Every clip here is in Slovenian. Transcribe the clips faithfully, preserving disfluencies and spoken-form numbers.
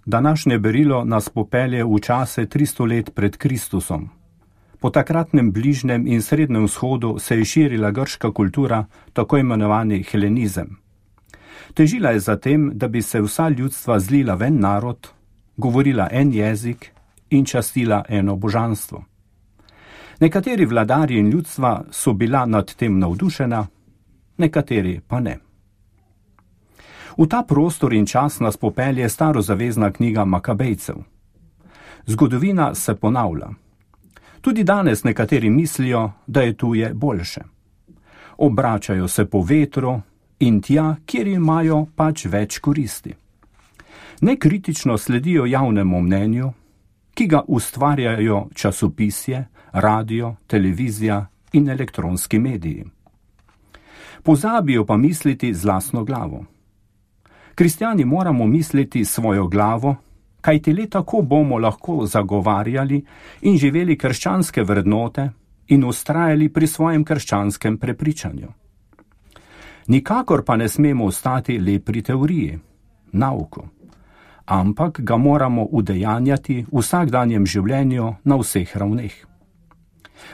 Današnje berilo nas popelje v čase tristo let pred Kristusom. Po takratnem bližnjem in srednjem vzhodu se je širila grška kultura, tako imenovani helenizem. Težila je za tem, da bi se vsa ljudstva zlila v en narod, govorila en jezik in častila eno božanstvo. Nekateri vladarji in ljudstva so bila nad tem navdušena, nekateri pa ne. V ta prostor in čas nas popelje starozavezna knjiga Makabejcev. Zgodovina se ponavlja. Tudi danes nekateri mislijo, da je tuje boljše. Obračajo se po vetru in tja, kjer imajo pač več koristi. Nekritično sledijo javnemu mnenju, ki ga ustvarjajo časopisje, radio, televizija in elektronski mediji. Pozabijo pa misliti z lastno glavo. Kristjani moramo misliti svojo glavo, kajti le tako bomo lahko zagovarjali in živeli krščanske vrednote in ustrajali pri svojem krščanskem prepričanju. Nikakor pa ne smemo ostati le pri teoriji, nauku, ampak ga moramo udejanjati v vsakdanjem življenju na vseh ravneh.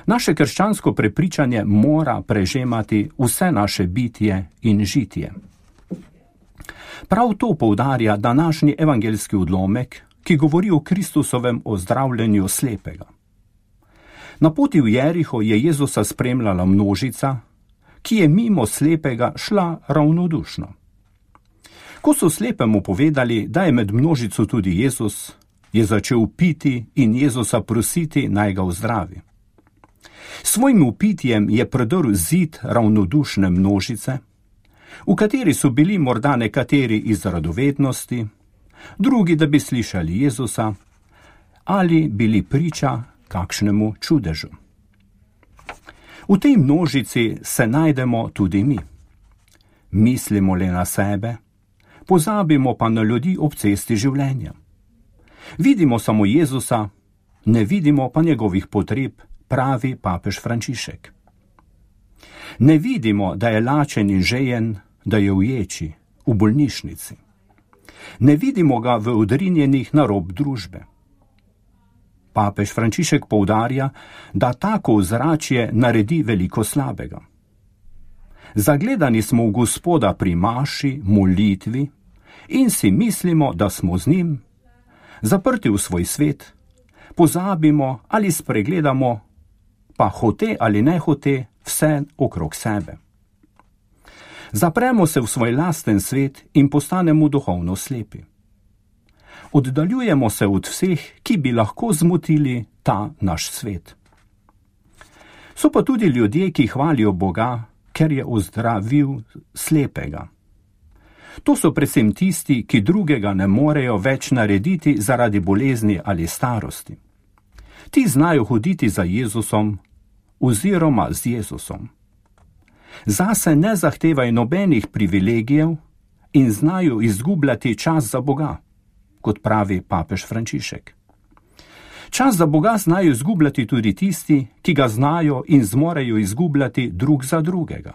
Naše krščansko prepričanje mora prežemati vse naše bitje in žitje. Prav to poudarja današnji evangeljski odlomek, ki govori o Kristusovem ozdravljenju slepega. Na poti v Jeriho je Jezusa spremljala množica, ki je mimo slepega šla ravnodušno. Ko so slepemu povedali, da je med množico tudi Jezus, je začel piti in Jezusa prositi, naj ga ozdravi. S svojim upitjem je predrl zid ravnodušne množice, v kateri so bili morda nekateri iz radovednosti, drugi, da bi slišali Jezusa, ali bili priča kakšnemu čudežu. V tej množici se najdemo tudi mi. Mislimo le na sebe, pozabimo pa na ljudi ob cesti življenja. Vidimo samo Jezusa, ne vidimo pa njegovih potreb, pravi papež Frančišek. Ne vidimo, da je lačen in žejen, da je v ječi, v bolnišnici. Ne vidimo ga v odrinjenih na rob družbe. Papež Frančišek poudarja, da tako ozračje naredi veliko slabega. Zagledani smo v Gospoda pri maši, molitvi in si mislimo, da smo z njim, zaprti v svoj svet, pozabimo ali spregledamo, pa hote ali ne hote, vse okrog sebe. Zapremo se v svoj lasten svet in postanemo duhovno slepi. Oddaljujemo se od vseh, ki bi lahko zmotili ta naš svet. So pa tudi ljudje, ki hvalijo Boga, ker je ozdravil slepega. To so predvsem tisti, ki drugega ne morejo več narediti zaradi bolezni ali starosti. Ti znajo hoditi za Jezusom oziroma z Jezusom. Zase ne zahtevajo nobenih privilegijev in znajo izgubljati čas za Boga, kot pravi papež Frančišek. Čas za Boga znajo izgubljati tudi tisti, ki ga znajo in zmorejo izgubljati drug za drugega.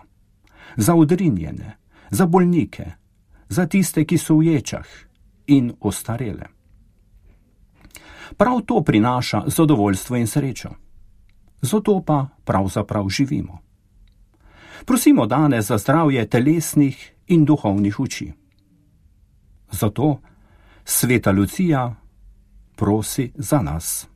Za odrinjene, za bolnike, za tiste, ki so v ječah in ostarele. Prav to prinaša zadovoljstvo in srečo. Zato pa pravzaprav živimo. Prosimo danes za zdravje telesnih in duhovnih oči. Zato Sveta Lucija prosi za nas.